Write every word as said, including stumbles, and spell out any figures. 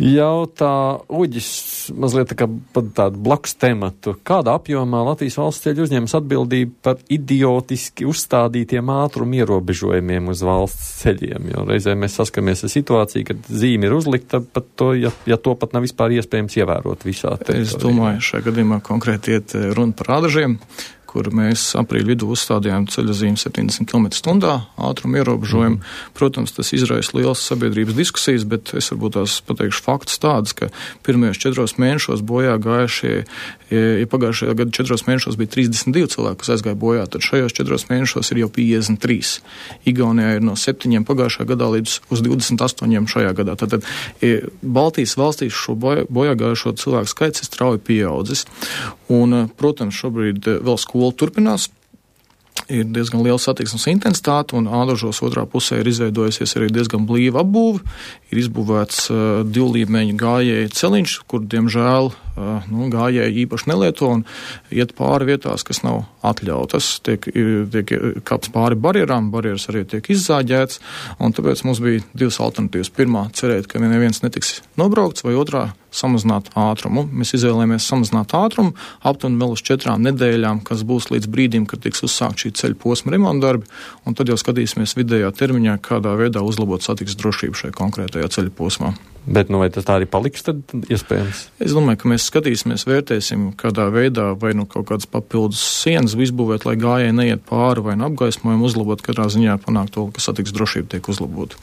Jautā Uģis mazliet tā kā tādu blakus tematu. Kādā apjomā Latvijas valsts ceļu uzņemas atbildību par idiotiski uzstādītiem ātrumu ierobežojumiem uz valsts ceļiem? Jo reizē mēs saskaramies ar situāciju, kad zīme ir uzlikta, pat to, ja, ja to pat nav vispār iespējams ievērot visā teritorijā. Es domāju, šajā gadījumā konkrēti iet runa par ādažiem, kur mēs aprīļa vidū uzstādījām ceļa zīmi septiņdesmit kilometru stundā ātrumu ierobežojumu. Mm. Protams, tas izraisa lielas sabiedrības diskusijas, bet es varbūt tās pateikšu faktus tādus, ka pirmajos četros mēnešos bojā gājušie, ja pagājušajā gada četros mēnešos bija trīsdesmit divi cilvēki, kas aizgāja bojā, tad šajos četros mēnešos ir jau piecdesmit trīs. Igaunijā ir no septiņiem pagājušajā gadā līdz uz divdesmit astoņiem šajā gadā. Tātad Baltijas valstīs šo bojā, bojā gājušo cilvēku skaits ir strauji pieaudzis. Un, protams, šobrīd vēl skola turpinās. Ir diezgan liela satiksmes intensitāte, un Ādažos otrā pusē ir izveidojusies arī diezgan blīva apbūve. Ir izbūvēts uh, divlīmeņu gājēju celiņš, kur, diemžēl, uh, nu, gājēji īpaši nelieto un iet pāri vietās, kas nav atļautas. Tiek, tiek kāpts pāri barjerām, barjeras arī tiek izzāģēts, un tāpēc mums bija divas alternatīvas. Pirmā, cerēt, ka neviens netiks nobraukts, vai otrā, samazināt ātrumu. Mēs izvēlējāmies samazināt ātrumu aptuveni vēl uz četrām nedēļām, kas būs līdz brīdim, kad tiks uzsākt šī ceļa posma remontdarbi, un tad jau skatīsimies vidējā termiņā, kādā veidā uzlabot satiksmes drošību šajā konkrētajā ceļa posmā. Bet nu vai tas tā arī paliks tad iespējams? Es domāju, ka mēs skatīsimies, vērtēsim, kādā veidā vai nu kaut kādas papildus sienas izbūvēt, lai gājēji neiet pāri vai nu apgaismojumu uzlabot, katrā ziņā panākt to, ka satiksmes drošība tiek uzlabota.